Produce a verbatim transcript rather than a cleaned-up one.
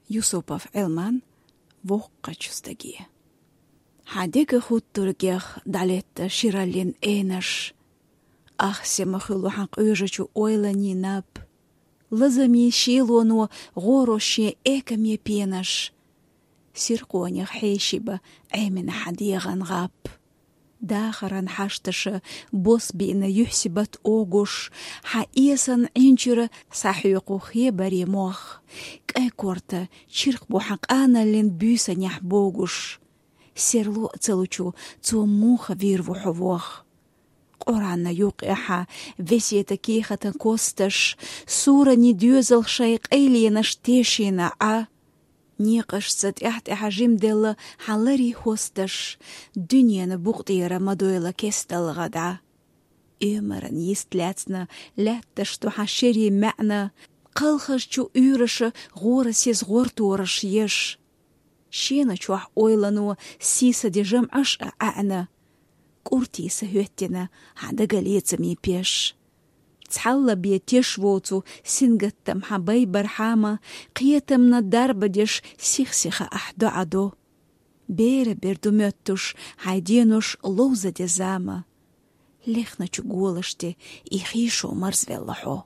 Юсупов Ӏилман. Воккхачу стаге. Хьан дега хуттургех дӀалетта шираллин энаш. Ахсема хуьлу хьан къуьжачу ойланийн наб. Лазаме шелоно гӀоро шен экаме пенаш. Сиркъонех хьешиба Ӏемина хьан дегӀан гӀап. Дахаран хьашташа бос биъна юьхьсибат огуш, хьан эсан Ӏинчура схьахьоькху хебаре мох. КӀай корта чиркх бу хьан къаналлин буьйсанехь богуш. Серло а ца лучу цо муха вийр ву хьо вох. Къуранна юккъехьа весета кехатан косташ, сурани доьзал шайн къайленаш тешийна Ӏа. Некъашца тӀаьхь-тӀаьхьа жимделла хьан ларий хӀосташ, дуьненан букъ тӀера ма дойла кесталгӀа дӀа. Оьмаран йист лаьцна лаьтташ ду хьан шерийн маьӀна, кхалхазчу уьйраша гӀора сез гӀортораш еш. Шена чохь ойлано сийсаде жамӀаш а ӀаьӀна. КӀуртий са хӀоьттина хьан дагалецамийн пеш. Цхьалла бен теш воцу сингаттам хьан байбархьама, кхетамна дарба деш сих-сиха ахь доӀа до. Бера бер ду моьттуш хьайн денош ловзаде зама. Лехначу голаш тӀе и хийшо марзвелла хьо.